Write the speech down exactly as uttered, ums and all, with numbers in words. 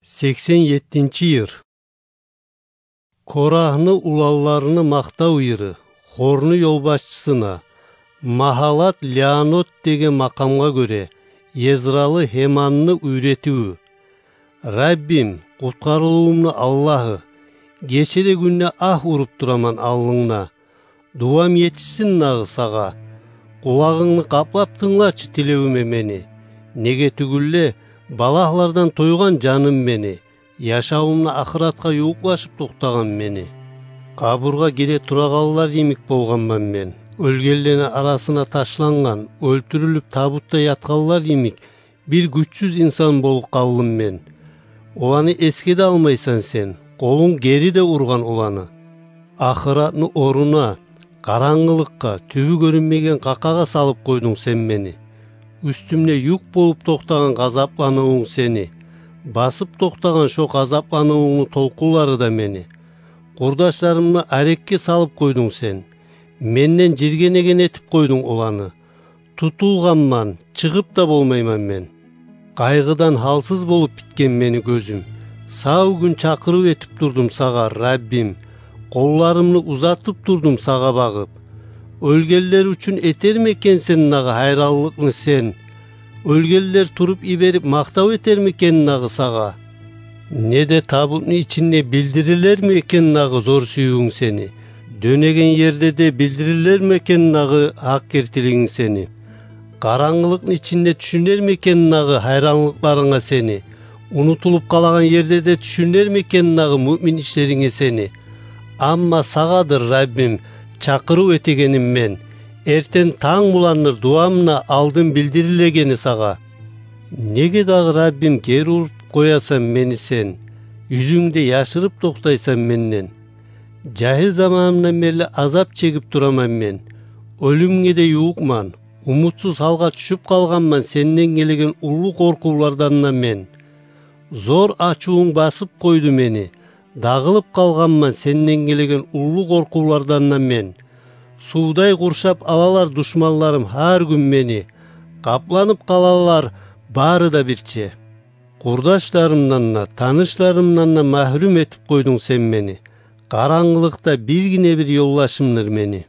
Сексен еттинчи йыр. Корагьны уланларыны макътав йыры, хорну ёлбашчысына, Магьалат Леанот деген макъамгъа гёре, Езралы Гьеманны уьйретивю. Раббим, къутгъарылывумну Аллагьы, гече де, гюн де агь уруп тураман алдынгда. Дувам етишсин дагъы сагъа. Къулагъынгны къаплап тынглачы тилевюме мени. Неге тюгюл де, балагьлардан тойгъан жаным мени, яшавумда ахыратгъа ювукълашып токътагъан мени. Къабургъа гире турагъанлар йимик болгъанман мен. Оьлгенлени арасына ташлангъан, оьлтюрюлюп табутда ятгъанлар йимик бир гючсюз инсан болуп къалдым мен. Оланы эсге де алмайсан сен, къолунг гери де ургъан оланы. Ахыратны оруна, къарангылыкъгъа, тюбю гёрюнмеген къакъагъа салып къойдунг сен мени. Уьстюмде юк болуп токътагъан гъазапланывунг сени, басып токътагъан шо гъазапланывунгну толкъунлары да мени. Къурдашларымны арекге салып къойдунг сен. Менден жиргенеген этип къойдунг оланы. Тутулгъанман, чыгъып да болмайман мен. Къайгъыдан гьалсыз болуп битген мени гёзюм. Сав гюн чакъырыв этип турдум сагъа, Раббим. Къолларымны узатып турдум сагъа багъып. Оьлгенлер учун этерми экен сен дагъы гьайранлыкъны сен? Оьлгенлер туруп йиберип макътав этерми экен дагъы сагъа? Не де табутну ичинде билдирилерми экен дагъы зор сюювюнг сени? Дёнеген ерде де билдирилерми экен дагъы гьакъ гертилигинг сени? Къарангылыкъны ичинде тюшюнерми экен дагъы гьайранлыкъларынга сени? Унутулуп къалагъан ерде де тюшюнерми экен дагъы муъмин ишлеринге сени? Амма сагъадыр, Раббим, чакъырыв этегеним мен. Эртен танг буландыр дувамны алдын билдирилегени сагъа. Неге дагъы, Раббим, гери уруп къоясан мени сен? Юзюнгде яшырып токътайсан менден? Жагьил заманымдан берли азап чегип тураман мен. Оьлюмге де ювукъман. Умутсуз гьалгъа тюшюп къалгъанман сенден гелеген уллу къоркъувлардан да мен. Зор ачувунг басып къойду мени. Дагъылып къалгъанман сенден гелеген уллу къоркъувлардан да мен. Сувдай къуршап алалар душманларым гьар гюн мени. Къапланып къалалар бары да бирче. Къурдашларымдан да, танышларымдан да магьрюм этип къойдунг сен мени. Къарангылыкъда биргине бир ёлдашымдыр мени.